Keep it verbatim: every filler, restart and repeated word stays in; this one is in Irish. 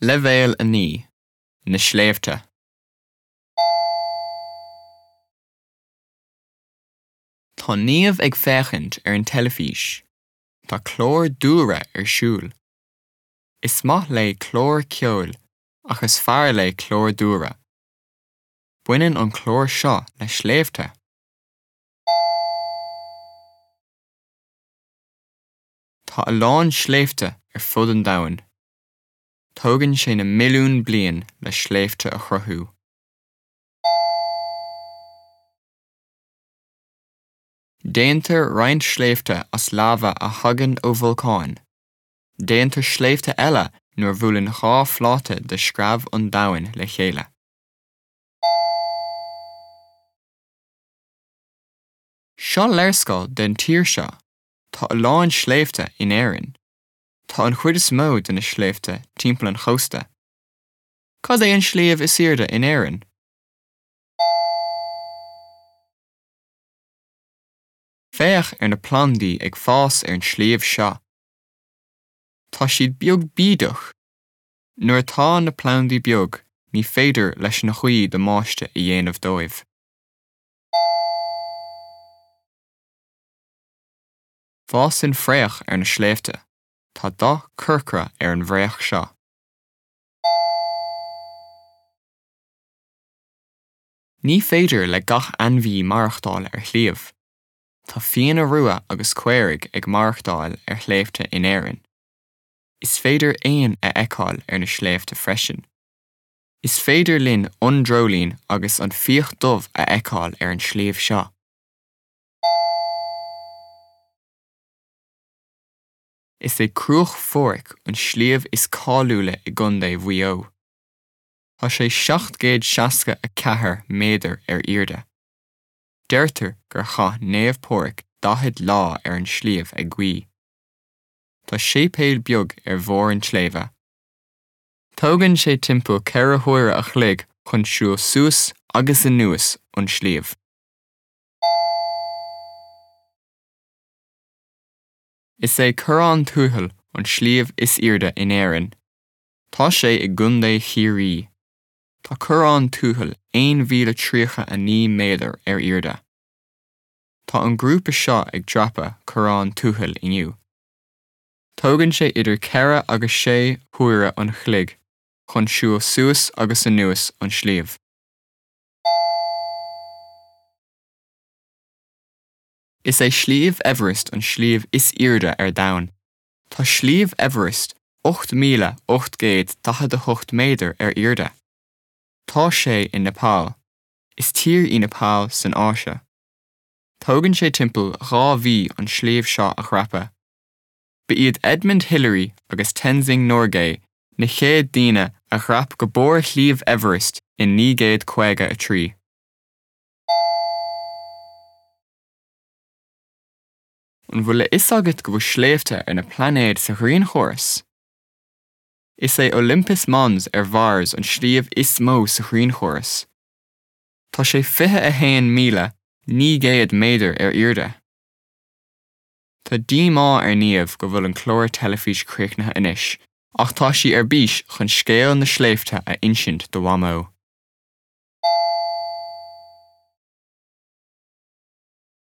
Leibhéal a naoi, Na Sléibhte. Tá Niamh ag féachaint ar an teilifís. Tá clár dúlra ar siúl. Is maith léi clár ceoil ach is fearr léi clár dúlra. Baineann an clár seo le sléibhte. Tá a lán sléibhte ar fud an domhain. Tógann sé na milliúin bliain le sléibhte a chruthú. Déantar roinnt sléibhte as láva a thagann ó bholcáin. Déantar sléibhte eile nuair a bhuaileann dhá phláta de screamh an domhain le chéile. Seo léarscáil den tír seo. Tá a lán sléibhte in Éirinn. Tá an chuid is mó de na sléibhte timpeall an chósta. Cad é an sliabh is airde in Éirinn? Féach ar na plandaí ag fás ar an sliabh seo. Tá siad beag bídeach. Nuair atá na plandaí beag, ní féidir leis an ghaoth damáiste a dhéanamh dóibh. Fásann fraoch ar na sléibhte. Tá dath corcra ar an bhfraoch seo. Ní féidir le gach ainmhí maireachtáil ar shliabh. Tá fianna rua agus caoirigh ag maireachtáil ar shléibhte in Éirinn. Is féidir éin a fheiceáil ar na sléibhte freisin. Is féidir linn an dreoilín agus an fiach dubh a fheiceáil ar an sliabh seo. Is é Cruach Phádraig an sliabh is cáiliúla i gContae Mhaigh Eo. Tá sé seacht gcéad seasca a ceathair méadar ar airde. Deirtear gur chaith Naomh Pádraig daichead lá ar an sliabh ag guí. Tá séipéal beag ar bharr an tsléibhe. Tógann sé timpeall ceithre huaire a chloig chun siúl suas agus anuas an sliabh. Is é Corrán Tuathail an sliabh is airde in Éirinn. Tá sé i gContae Chiarraí. Tá Corrán Tuathail aon mhíle tríocha a naoi méadar ar airde. Tá an grúpa seo ag dreapadh Corrán Tuathail inniu. Tógann sé idir ceithre agus sé huaire an chloig chun siúl suas agus anuas an sliabh. Is é Sliabh Everest an sliabh is airde ar domhan. Tá Sliabh Everest ocht míle ocht gcéad daichead a hocht méadar ar airde. Tá sé i Nepal. Is tír í Nepal san Áise. Tógann sé timpeall dhá mhí an sliabh seo a dhreapadh. Ba iad Edmund Hillary agus Tenzing Norgay na chéad daoine a dhreap go barr Shliabh Everest in naoi gcéad caoga a trí. An bhfuil a fhios agat go bhfuil sléibhte ar na pláinéid sa ghrianchóras? Is é Olympus Mons ar Mhars an sliabh is mó sa ghrianchóras. Tá sé fiche a haon míle naoi gcéad méadar ar airde. Tá díomá ar Niamh go bhfuil an clár teilifís críochnaithe anois, ach tá sí ar bís chun scéal na sléibhte a insint do Mhamó.